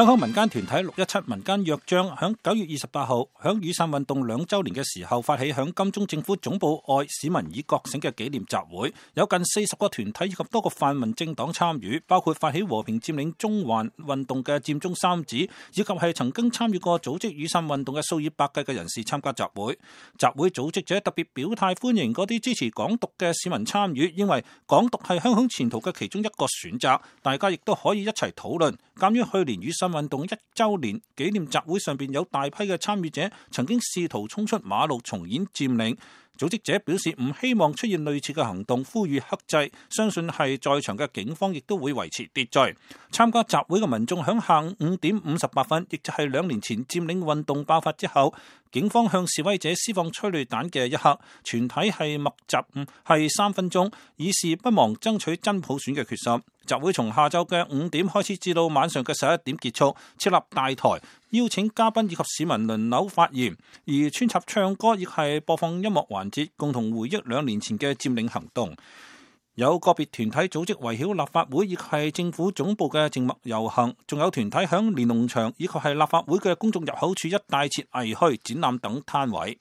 香港民間團體617民間約章響9月28號響雨傘運動2週年嘅時候發起響金鐘政府總部外市民以覺醒嘅紀念集會，有近40個團體以及多個泛民政黨參與，包括發起和平佔領中環運動嘅佔中三子，以及係曾經參與過組織雨傘運動嘅數以百計嘅人士參加集會。集會組織者特別表態歡迎嗰啲支持港獨嘅市民參與，認為港獨係香港前途嘅其中一個選擇，大家亦都可以一齊討論。鑒於去年雨傘運動1週年紀念集會上邊有大批嘅參與者曾經試圖衝出馬路重演佔領，組織者表示唔希望出現類似嘅行動，呼籲克制，相信係在場嘅警方亦都會維持秩序。參加集會嘅民眾響下午5點58分，亦就係2年前佔領運動爆發之後，警方向示威者施放催淚彈嘅一刻，全體係默集係3分鐘，以示不忘爭取真普選嘅決心。集會從下晝嘅5點開始至到晚上嘅11點結束，設立大台，邀請嘉賓以及市民輪流發言，而穿插唱歌亦係播放音樂環節，共同回憶2年前嘅佔領行動。有個別團體組織圍繞立法會亦係政府總部嘅靜默遊行，仲有團體響連儂牆以及係立法會嘅公眾入口處一帶設藝墟、展覽等攤位。